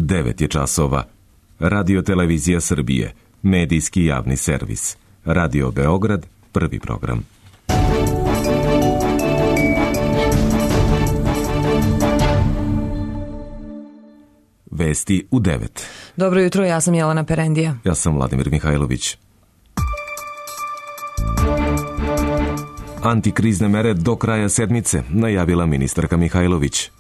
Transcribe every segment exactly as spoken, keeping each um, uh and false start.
devet je časova. Radio Televizija Srbije, medijski javni servis. Radio Beograd, prvi program. Vesti u devet. Dobro jutro, ja sam Jelena Perendija. Ja sam Vladimir Mihajlović. Antikrizne mere do kraja sedmice, najavila ministarka Mihajlović.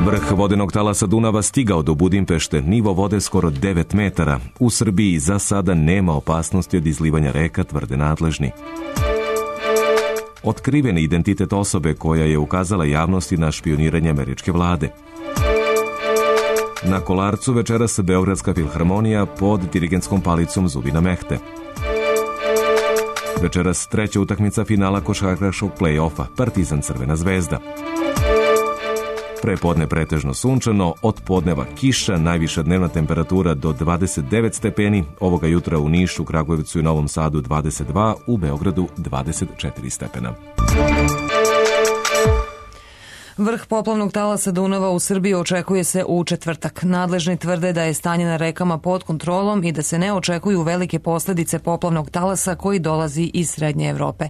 Vrh vodenog talasa Dunava stigao do Budimpešte, nivo vode skoro devet metara. U Srbiji za sada nema opasnosti od izlivanja reka, tvrde nadležni. Otkriven identitet osobe koja je ukazala javnosti na špioniranje američke vlade. Na Kolarcu večeras Beogradska filharmonija pod dirigentskom palicom Zubina Mehte. Večeras treća utakmica finala košarkaškog play-offa, Partizan Crvena zvezda. Prepodne pretežno sunčano, od podneva kiša, najviša dnevna temperatura do dvadeset devet stepeni, ovoga jutra u Nišu, Kragujevcu i Novom Sadu dvadeset dva, u Beogradu dvadeset četiri stepena. Vrh poplavnog talasa Dunava u Srbiji očekuje se u četvrtak. Nadležni tvrde da je stanje na rekama pod kontrolom i da se ne očekuju velike posljedice poplavnog talasa koji dolazi iz Srednje Evrope.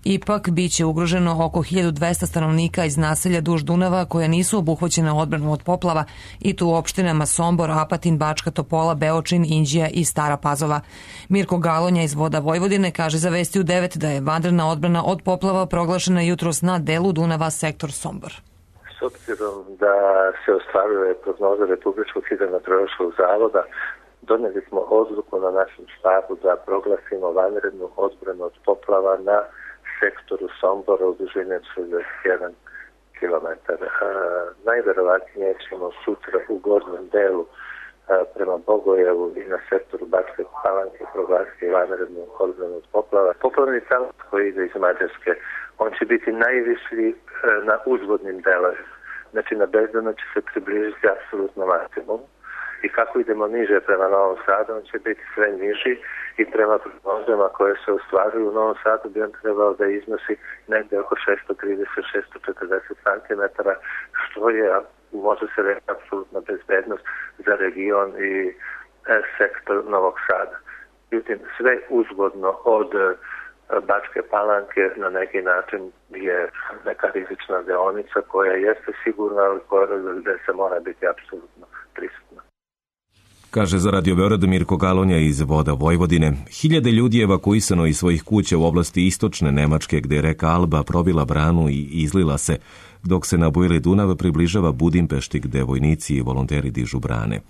Ipak, bit će ugroženo oko hiljadu dvesta stanovnika iz naselja duž Dunava koja nisu obuhvaćena odbranom od poplava i tu u opštinama Sombor, Apatin, Bačka Topola, Beočin, Inđija i Stara Pazova. Mirko Galonja iz Voda Vojvodine kaže za Vesti u devet da je vanredna odbrana od poplava proglašena jutros na delu Dunava, sektor Sombor. S obzirom da se ostvaruje prognoza Republičkog hidrometeorološkog zavoda, donijeli smo odluku na našem štabu da proglasimo vanrednu odbranu od poplava na sektoru Sombora u dužini šezdeset jedan kilometar. Najverovatnije ćemo sutra u gornjem delu a, prema Bogojevu i na sektoru Bačke Palanke proglasiti vanrednu odbranu od poplava. Poplavni talas koji ide iz Mađarske, on će biti najviši na uzvodnim delovima. Znači na Bezdanu će se približiti apsolutno maksimum i kako idemo niže prema Novom Sadu, on će biti sve niži i prema prognozama koje se ostvaruju u Novom Sadu bi on trebao da iznosi negdje oko šesto trideset do šesto četrdeset centimetara, što je, može se reći, apsolutna bezbednost za region i e, sektor Novog Sada. Međutim, sve uzvodno od Bačke Palanke na neki način je neka rizična deonica koja jeste sigurna, ali koja gde se mora biti apsolutno prisutna. Kaže za Radio Beograd Mirko Galonja iz Voda Vojvodine. Hiljade ljudi je evakuisano iz svojih kuća u oblasti istočne Nemačke, gde je reka Alba probila branu i izlila se, dok se na bujeli Dunav približava Budimpešti, gde vojnici i volonteri dižu brane.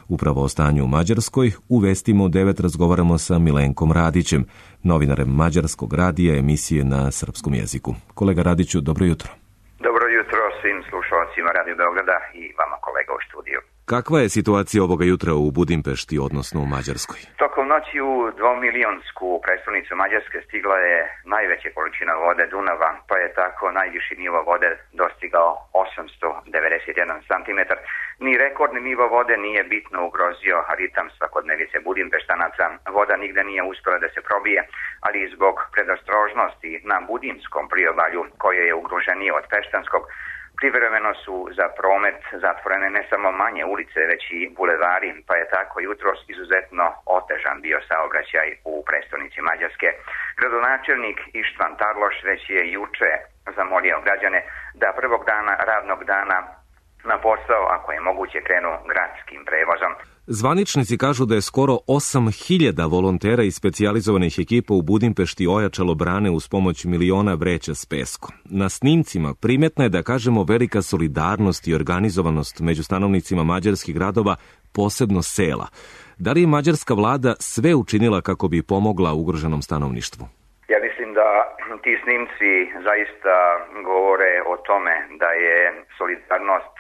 Upravo o stanju u Mađarskoj u Vestima u devet razgovaramo sa Milenkom Radićem, novinarem Mađarskog radija emisije na srpskom jeziku. Kolega Radiću, dobro jutro. Dobro jutro svim slušalcima Radio Beograda i vama kolega u studiju. Kakva je situacija ovoga jutra u Budimpešti, odnosno u Mađarskoj? Tokom noći u dvomilijonsku prestolnicu Mađarske stigla je najveća količina vode Dunava, pa je tako najviši nivo vode dostigao osamsto devedeset jedan centimetar. Ni rekordni nivo vode nije bitno ugrozio ritam svakodnevice Budimpeštanaca. Voda nigde nije uspjela da se probije, ali zbog predostrožnosti na Budimskom priobalju, koje je ugroženije od Peštanskog, privremeno su za promet zatvorene ne samo manje ulice, već i bulevari, pa je tako jutros izuzetno otežan bio saobraćaj u prestolnici Mađarske. Gradonačelnik Ištvan Tarloš već je juče zamolio građane da prvog dana radnog dana na posao, ako je moguće, krenu gradskim prevozom. Zvaničnici kažu da je skoro osam hiljada volontera i specijalizovanih ekipa u Budimpešti ojačalo brane uz pomoć miliona vreća s peskom. Na snimcima primetna je, da kažemo, velika solidarnost i organizovanost među stanovnicima mađarskih gradova, posebno sela. Da li je mađarska vlada sve učinila kako bi pomogla ugroženom stanovništvu? Ja mislim da ti snimci zaista govore o tome da je solidarnost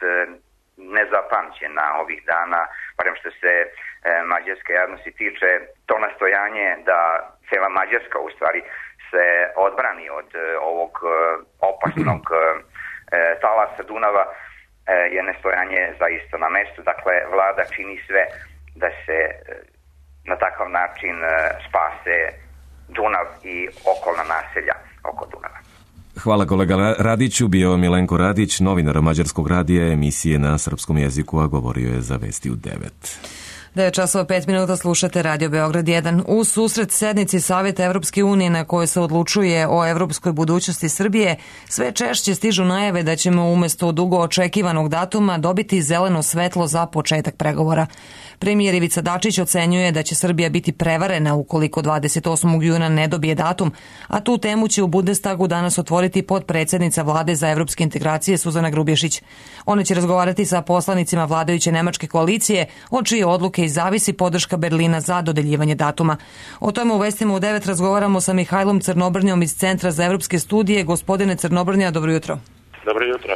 nezapamćena ovih dana, barem što se e, mađarske javnosti tiče. To nastojanje da cela Mađarska u stvari se odbrani od e, ovog e, opasnog e, talasa Dunava e, je nastojanje zaista na mestu. Dakle, vlada čini sve da se e, na takav način e, spase Dunav i okolna naselja oko Dunava. Hvala kolega Radiću, bio Milenko Radić, novinar Mađarskog radija, emisije na srpskom jeziku, a govorio je za Vesti u devet. devet časova pet minuta, slušate Radio Beograd jedan. U susret sednici Savjeta Evropske unije na kojoj se odlučuje o evropskoj budućnosti Srbije, sve češće stižu najave da ćemo umesto dugo očekivanog datuma dobiti zeleno svetlo za početak pregovora. Premijer Ivica Dačić ocenjuje da će Srbija biti prevarena ukoliko dvadeset osmog juna ne dobije datum, a tu temu će u Bundestagu danas otvoriti potpredsjednica Vlade za evropske integracije Suzana Grubješić. Ona će razgovarati sa poslanicima vladajuće nemačke koalicije, od čije odluke i zavisi podrška Berlina za dodeljivanje datuma. O tome u Vestima u devet razgovaramo sa Mihajlom Crnobrnjom iz Centra za evropske studije. Gospodine Crnobrnja, dobro jutro. Dobro jutro.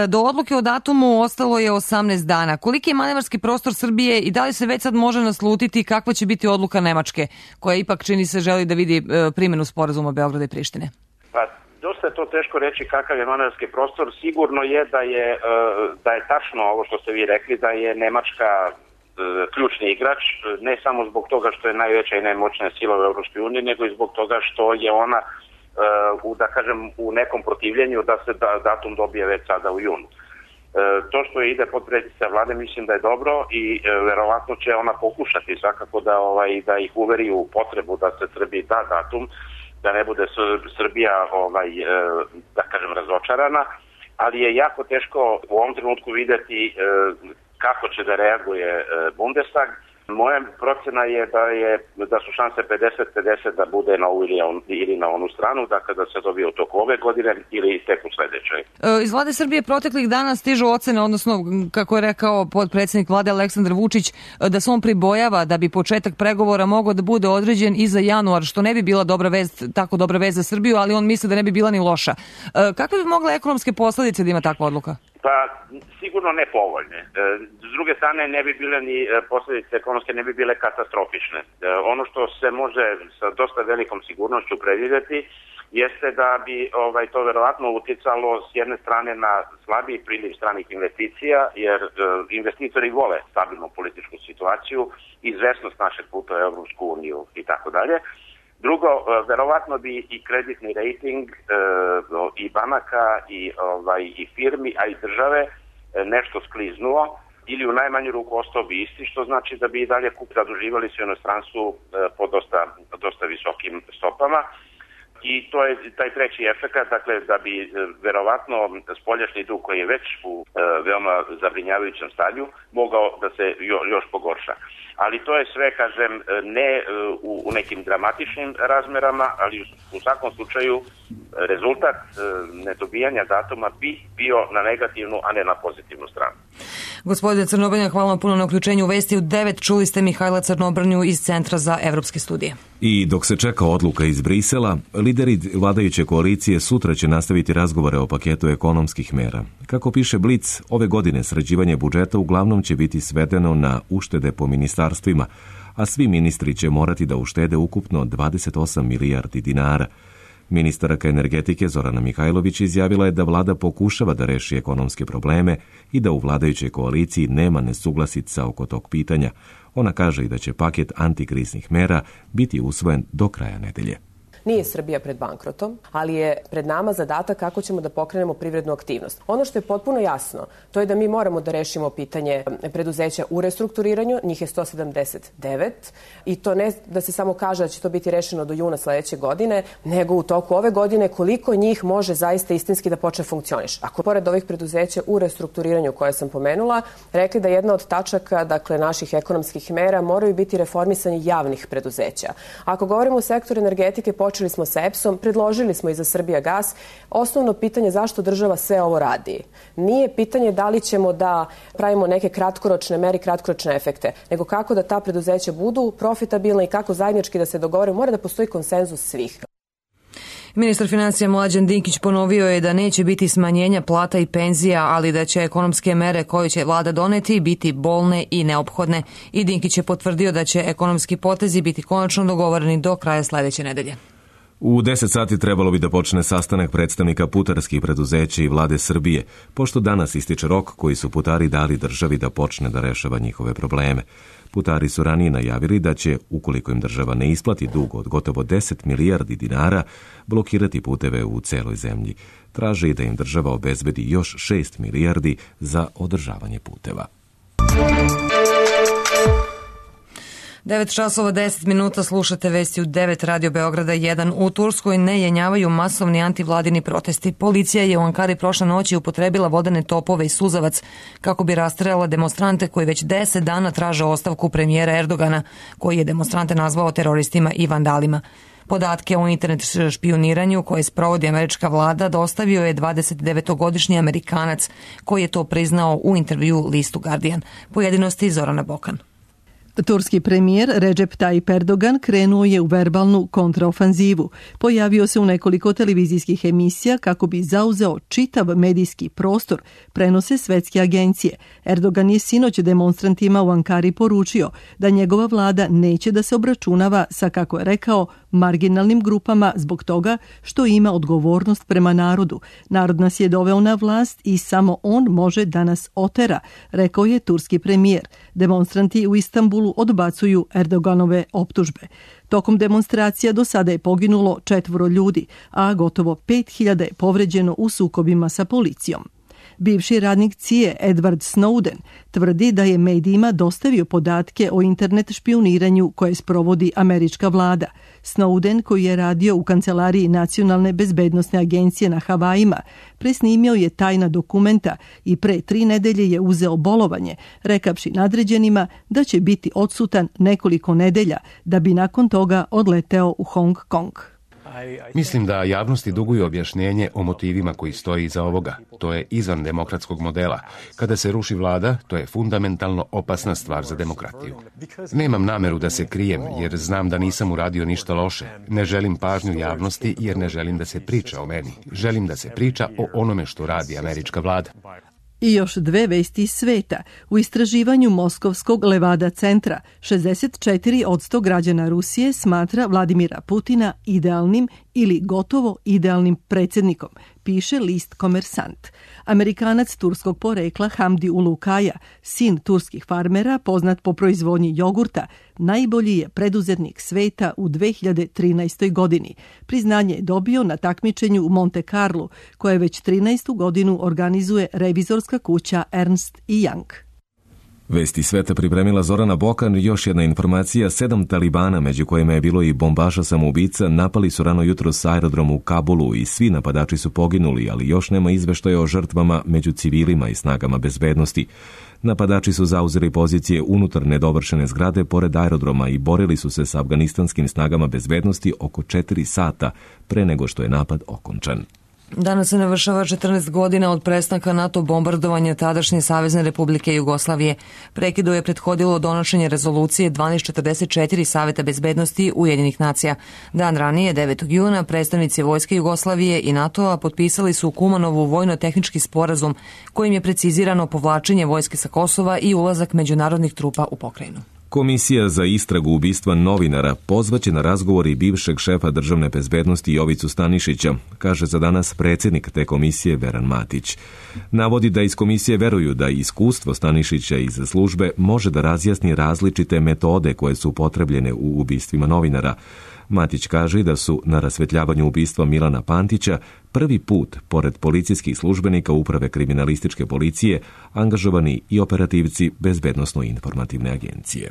Do odluke o datumu ostalo je osamnaest dana. Koliki je manevarski prostor Srbije i da li se već sad može naslutiti kakva će biti odluka Nemačke, koja ipak čini se želi da vidi primjenu sporazuma Beograda i Prištine? Pa, dosta je to teško reći kakav je manevarski prostor. Sigurno je da je, da je tačno ovo što ste vi rekli, da je Nemačka ključni igrač, ne samo zbog toga što je najveća i najmoćnija sila u Evropskoj uniji, nego i zbog toga što je ona u, da kažem, u nekom protivljenju da se da, datum dobije već sada u junu. E, to što ide potpredsjednica vlade mislim da je dobro i e, verovatno će ona pokušati svakako da, ovaj, da ih uveri u potrebu da se Srbiji da datum, da ne bude Srbija ovaj, e, da kažem razočarana, ali je jako teško u ovom trenutku vidjeti e, kako će da reaguje e, Bundestag. Moja procena je da je da su šanse pedeset pedeset da bude na ovu ili, ili na onu stranu, dakle da se dobije u toku ove godine ili tek u sledećoj. Iz Vlade Srbije proteklih dana stižu ocene, odnosno kako je rekao potpredsjednik Vlade Aleksandar Vučić, da se on pribojava da bi početak pregovora mogao da bude određen i za januar, što ne bi bila dobra vest, tako dobra vest za Srbiju, ali on misli da ne bi bila ni loša. Kakve bi mogle ekonomske posledice da ima takva odluka? Pa sigurno ne povoljne. S druge strane ne bi bile ni posljedice ekonomske, ne bi bile katastrofične. Ono što se može sa dosta velikom sigurnošću predvidjeti jeste da bi ovaj, to verovatno uticalo s jedne strane na slabiji priliv stranih investicija, jer e, investitori vole stabilnu političku situaciju, izvesnost našeg puta u Evropsku uniju i tako dalje. Drugo, verovatno bi i kreditni rating e, i banaka i, ovaj, i firmi, a i države e, nešto skliznuo ili u najmanju ruku ostao bi isti, što znači da bi i dalje kup zaduživali se u inostranstvu e, po dosta, dosta visokim stopama. I to je taj treći efekat, dakle da bi e, verovatno spoljašnji dug koji je već u e, veoma zabrinjavajućem stanju mogao da se jo, još pogorša. Ali to je sve, kažem, ne u, u nekim dramatičnim razmerama, ali u, u svakom slučaju rezultat e, nedobijanja datuma bi bio na negativnu, a ne na pozitivnu stranu. Gospodine Crnobrnja, hvala vam puno na uključenju u Vesti u devet. Čuli ste Mihajla Crnobrnju iz Centra za evropske studije. I dok se čeka odluka iz Brisela, lideri vladajuće koalicije sutra će nastaviti razgovore o paketu ekonomskih mera. Kako piše Blic, ove godine sređivanje budžeta uglavnom će biti svedeno na uštede po ministarstvima, a svi ministri će morati da uštede ukupno dvadeset osam milijardi dinara. Ministarka energetike Zorana Mihajlović izjavila je da vlada pokušava da reši ekonomske probleme i da u vladajućoj koaliciji nema nesuglasica oko tog pitanja. Ona kaže i da će paket antikriznih mera biti usvojen do kraja nedelje. Nije Srbija pred bankrotom, ali je pred nama zadatak kako ćemo da pokrenemo privrednu aktivnost. Ono što je potpuno jasno, to je da mi moramo da rešimo pitanje preduzeća u restrukturiranju, njih je sto sedamdeset devet, i to ne da se samo kaže da će to biti rešeno do juna sledeće godine, nego u toku ove godine koliko njih može zaista istinski da počne funkcioniš. Ako pored ovih preduzeća u restrukturiranju koje sam pomenula, rekli da jedna od tačaka, dakle, naših ekonomskih mera moraju biti reformisanje javnih preduzeća. Ako govorimo o sektoru energetike, počeli smo sa E P S-om, predložili smo i za Srbijagas. Osnovno pitanje zašto država sve ovo radi nije pitanje da li ćemo da pravimo neke kratkoročne mere, kratkoročne efekte, nego kako da ta preduzeća budu profitabilna i kako zajednički da se dogovore. Mora da postoji konsenzus svih. Ministar financija Mlađan Dinkić ponovio je da neće biti smanjenja plata i penzija, ali da će ekonomske mere koje će vlada doneti biti bolne i neophodne. I Dinkić je potvrdio da će ekonomski potezi biti konačno dogovoreni do kraja sledeće nedelje. U deset sati trebalo bi da počne sastanak predstavnika putarskih preduzeća i vlade Srbije, pošto danas ističe rok koji su putari dali državi da počne da rešava njihove probleme. Putari su ranije najavili da će, ukoliko im država ne isplati dug od gotovo deset milijardi dinara, blokirati puteve u celoj zemlji. Traže i da im država obezbedi još šest milijardi za održavanje puteva. devet časova deset minuta slušate vesti u devet Radio Beograda jedan. U Turskoj ne jenjavaju masovni antivladini protesti. Policija je u Ankari prošle noći upotrebila vodene topove i suzavac kako bi rastrelala demonstrante koji već deset dana traže ostavku premijera Erdogana, koji je demonstrante nazvao teroristima i vandalima. Podatke o internet špioniranju koje sprovodi američka vlada dostavio je dvadesetdevetogodišnji Amerikanac koji je to priznao u intervju listu Guardian. Pojedinosti Zorana Bokan. Turski premijer Recep Tayyip Erdogan krenuo je u verbalnu kontraofanzivu. Pojavio se u nekoliko televizijskih emisija kako bi zauzeo čitav medijski prostor, prenose svetske agencije. Erdogan je sinoć demonstrantima u Ankari poručio da njegova vlada neće da se obračunava sa, kako je rekao, marginalnim grupama zbog toga što ima odgovornost prema narodu. Narod nas je doveo na vlast i samo on može da nas otera, rekao je turski premijer. Demonstranti u Istanbulu odbacuju Erdoganove optužbe. Tokom demonstracija do sada je poginulo četvoro ljudi, a gotovo pet hiljada je povređeno u sukobima sa policijom. Bivši radnik C I A Edward Snowden tvrdi da je medijima dostavio podatke o internet špioniranju koje sprovodi američka vlada. Snowden, koji je radio u kancelariji Nacionalne bezbednosne agencije na Havajima, presnimio je tajna dokumenta i pre tri nedelje je uzeo bolovanje, rekavši nadređenima da će biti odsutan nekoliko nedelja da bi nakon toga odleteo u Hong Kong. Mislim da javnosti duguju objašnjenje o motivima koji stoji iza ovoga. To je izvan demokratskog modela. Kada se ruši vlada, to je fundamentalno opasna stvar za demokratiju. Nemam nameru da se krijem, jer znam da nisam uradio ništa loše. Ne želim pažnju javnosti, jer ne želim da se priča o meni. Želim da se priča o onome što radi američka vlada. I još dve vesti iz sveta. U istraživanju Moskovskog Levada centra šezdeset četiri posto građana Rusije smatra Vladimira Putina idealnim ili gotovo idealnim predsjednikom, piše list Komersant. Amerikanac turskog porekla Hamdi Ulukaja, sin turskih farmera, poznat po proizvodnji jogurta, najbolji je preduzetnik sveta u dve hiljade trinaestoj. godini. Priznanje je dobio na takmičenju u Monte Carlo, koje već trinaestu godinu organizuje revizorska kuća Ernst and Young. Vesti sveta pripremila Zorana Bokan. Još jedna informacija, sedam talibana, među kojima je bilo i bombaša samoubica, napali su rano jutro s aerodrom u Kabulu i svi napadači su poginuli, ali još nema izveštaja o žrtvama među civilima i snagama bezbednosti. Napadači su zauzeli pozicije unutar nedovršene zgrade pored aerodroma i borili su se sa afganistanskim snagama bezbednosti oko četiri sata pre nego što je napad okončan. Danas se navršava četrnaest godina od prestanka NATO bombardovanja tadašnje Savezne Republike Jugoslavije. Prekidu je prethodilo donošenje rezolucije dvanaest četrdeset četiri Saveta bezbednosti Ujedinjenih nacija. Dan ranije, devetog juna, predstavnici Vojske Jugoslavije i NATO-a potpisali su u Kumanovu vojno-tehnički sporazum kojim je precizirano povlačenje vojske sa Kosova i ulazak međunarodnih trupa u pokrajinu. Komisija za istragu ubistva novinara pozvaće na razgovor i bivšeg šefa državne bezbednosti Jovicu Stanišića, kaže za danas predsjednik te komisije Veran Matić. Navodi da iz komisije veruju da iskustvo Stanišića iz službe može da razjasni različite metode koje su upotrebljene u ubistvima novinara. Matić kaže da su na rasvetljavanju ubistva Milana Pantića prvi put, pored policijskih službenika Uprave kriminalističke policije, angažovani i operativci Bezbednosno-informativne agencije.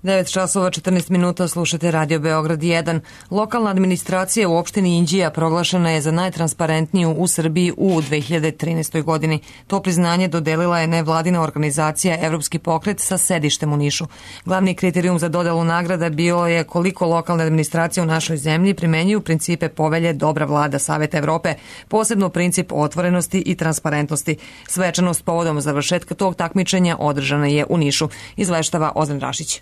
devet časova četrnaest minuta slušate Radio Beograd jedan. Lokalna administracija u opštini Inđija proglašena je za najtransparentniju u Srbiji u dve hiljade trinaestoj. godini. To priznanje dodelila je nevladina organizacija Evropski pokret sa sedištem u Nišu. Glavni kriterijum za dodelu nagrada bilo je koliko lokalne administracije u našoj zemlji primenjuju principe povelje Dobra vlada Saveta Evrope, posebno princip otvorenosti i transparentnosti. Svečanost povodom završetka tog takmičenja održana je u Nišu, izveštava Ozren Rašić.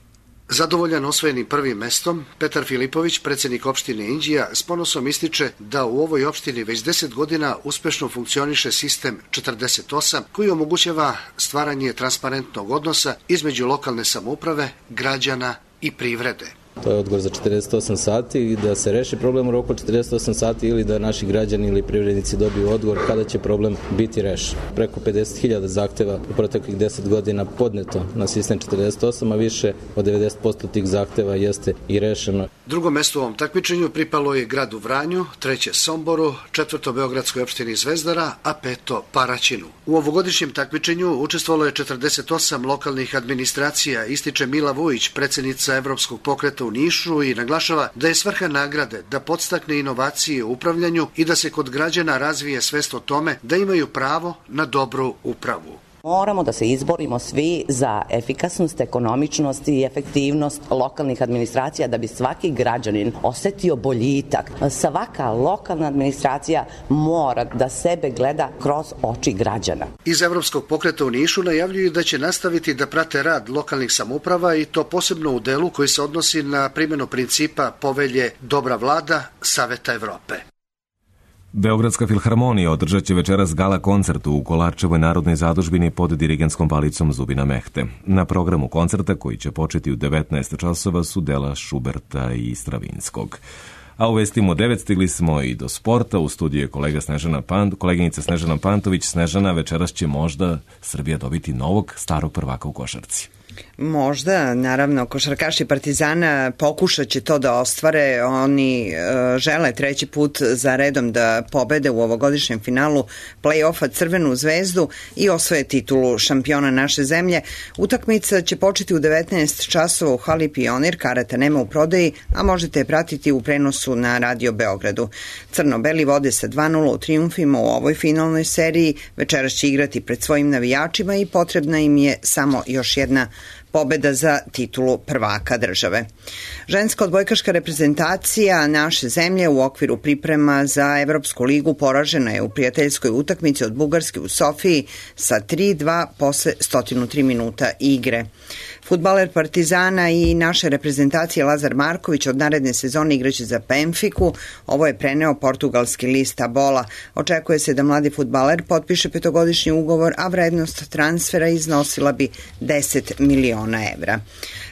Zadovoljan osvojenim prvim mestom, Petar Filipović, predsjednik opštine Inđija, s ponosom ističe da u ovoj opštini već deset godina uspešno funkcioniše sistem četrdeset osam koji omogućava stvaranje transparentnog odnosa između lokalne samouprave, građana i privrede. To je odgovor za četrdeset osam sati i da se reši problem u roku četrdeset osam sati ili da naši građani ili privrednici dobiju odgovor kada će problem biti rešen. Preko pedeset hiljada zahteva u proteklih deset godina podneto na sistem četrdeset osam, a više od devedeset posto tih zahteva jeste i rešeno. Drugo mesto u ovom takmičenju pripalo je gradu Vranju, treće Somboru, četvrto Beogradskoj opštini Zvezdara, a peto Paraćinu. U ovogodišnjem takmičenju učestvovalo je četrdeset osam lokalnih administracija, ističe Mila Vujić, predsjednica Evropskog pokreta u Nišu, i naglašava da je svrha nagrade da podstakne inovacije u upravljanju i da se kod građana razvije svest o tome da imaju pravo na dobru upravu. Moramo da se izborimo svi za efikasnost, ekonomičnost i efektivnost lokalnih administracija da bi svaki građanin osetio boljitak. Svaka lokalna administracija mora da sebe gleda kroz oči građana. Iz Evropskog pokreta u Nišu najavljuju da će nastaviti da prate rad lokalnih samouprava i to posebno u delu koji se odnosi na primjenu principa povelje Dobra vlada Saveta Evrope. Beogradska filharmonija održat će večeras gala koncert u Kolarčevoj narodnoj zadužbini pod dirigentskom palicom Zubina Mehte. Na programu koncerta, koji će početi u devetnaest časova, su dela Šuberta i Stravinskog. A u vestima u devet stigli smo i do sporta. U studiju je kolega Snežana Pant, koleginica Snežana Pantović. Snežana, večeras će možda Srbija dobiti novog starog prvaka u košarci. Možda, naravno, košarkaši Partizana pokušat će to da ostvare. Oni e, žele treći put za redom da pobede u ovogodišnjem finalu play-offa Crvenu zvezdu i osvoje titulu šampiona naše zemlje. Utakmica će početi u devetnaest časova u hali Pionir, karata nema u prodaji, a možete je pratiti u prenosu na Radio Beogradu. Crno-beli vode sa dva nula u trijumfima u ovoj finalnoj seriji. Večeras će igrati pred svojim navijačima i potrebna im je samo još jedna pobeda za titulu prvaka države. Ženska odbojkaška reprezentacija naše zemlje u okviru priprema za Evropsku ligu poražena je u prijateljskoj utakmici od Bugarske u Sofiji sa tri dva posle sto tri minuta igre. Fudbaler Partizana i naše reprezentacije Lazar Marković od naredne sezone igraće za Benfiku. Ovo je preneo portugalski list Bola. Očekuje se da mladi fudbaler potpiše petogodišnji ugovor, a vrednost transfera iznosila bi deset miliona evra.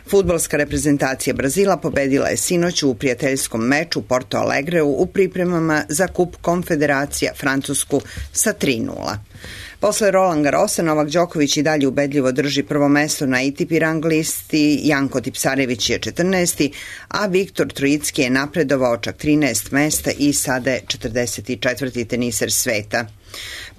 Fudbalska reprezentacija Brazila pobedila je sinoć u prijateljskom meču u Porto Alegreu u pripremama za kup Konfederacija Francusku sa tri nula. Posle Roland Garrosa, Novak Đoković i dalje ubedljivo drži prvo mesto na A T P rang listi, Janko Tipsarević je četrnaesti, a Viktor Trojicki je napredovao čak trinaest mesta i sada je četrdeset četvrti teniser sveta.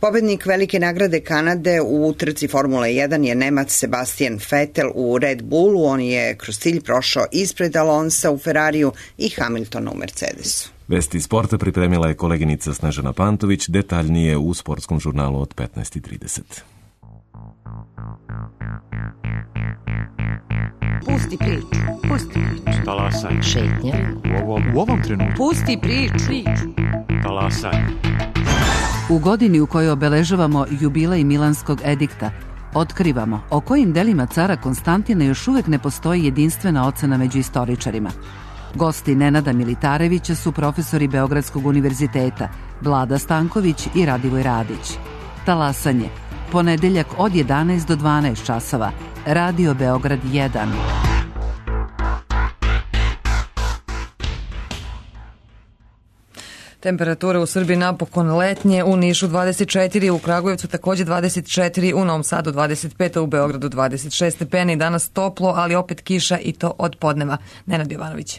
Pobednik velike nagrade Kanade u trci Formule jedan je Nemac Sebastian Vettel u Red Bullu. On je kroz cilj prošao ispred Alonsa u Ferrariju i Hamiltona u Mercedesu. Vesti sporta pripremila je koleginica Snežana Pantović, detaljnije u sportskom žurnalu od petnaest trideset. Pusti priču, pusti priču. Talasaj. Šetnja. U ovom, u ovom trenutku. Pusti priču. Talasaj. U godini u kojoj obeležavamo jubilej Milanskog edikta, otkrivamo o kojim delima cara Konstantina još uvek ne postoji jedinstvena ocena među istoričarima. Gosti Nenada Militarevića su profesori Beogradskog univerziteta, Vlada Stanković i Radivoj Radić. Talasanje, ponedeljak od jedanaest do dvanaest časova, Radio Beograd jedan. Temperatura u Srbiji napokon letnje, u Nišu dvadeset četiri, u Kragujevcu takođe dvadeset četiri, u Novom Sadu dvadeset pet, u Beogradu dvadeset šest stepeni. Danas toplo, ali opet kiša i to od podneva. Nenad Jovanović.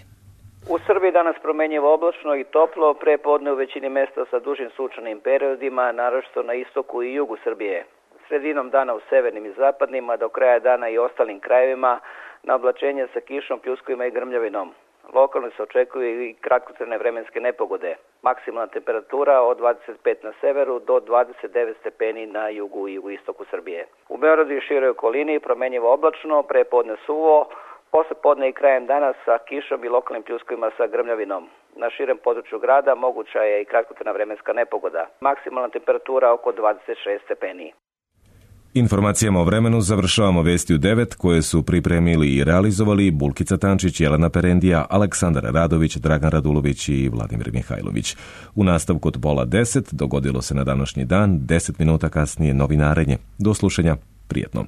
U Srbiji danas promenjivo oblačno i toplo, pre podne u većini mesta sa dužim sunčanim periodima, naročito na istoku i jugu Srbije. Sredinom dana u severnim i zapadnim, a do kraja dana i ostalim krajevima na oblačenje sa kišom, pljuskovima i grmljavinom. Lokalno se očekuju i kratkotrajne vremenske nepogode. Maksimalna temperatura od dvadeset pet na severu do dvadeset devet stepeni na jugu i jugoistoku Srbije. U Beogradu i široj okolini promenjivo oblačno, pre podne suvo, posle podne i krajem dana sa kišom i lokalnim pljuskovima sa grmljavinom. Na širem području grada moguća je i kratkotrajna vremenska nepogoda. Maksimalna temperatura oko dvadeset šest stepeni. Informacijama o vremenu završavamo vesti u devet koje su pripremili i realizovali Bulkica Tančić, Jelena Perendija, Aleksandar Radović, Dragan Radulović i Vladimir Mihajlović. U nastavku od pola deset dogodilo se na današnji dan, deset minuta kasnije novinarenje. Do slušanja, prijetno.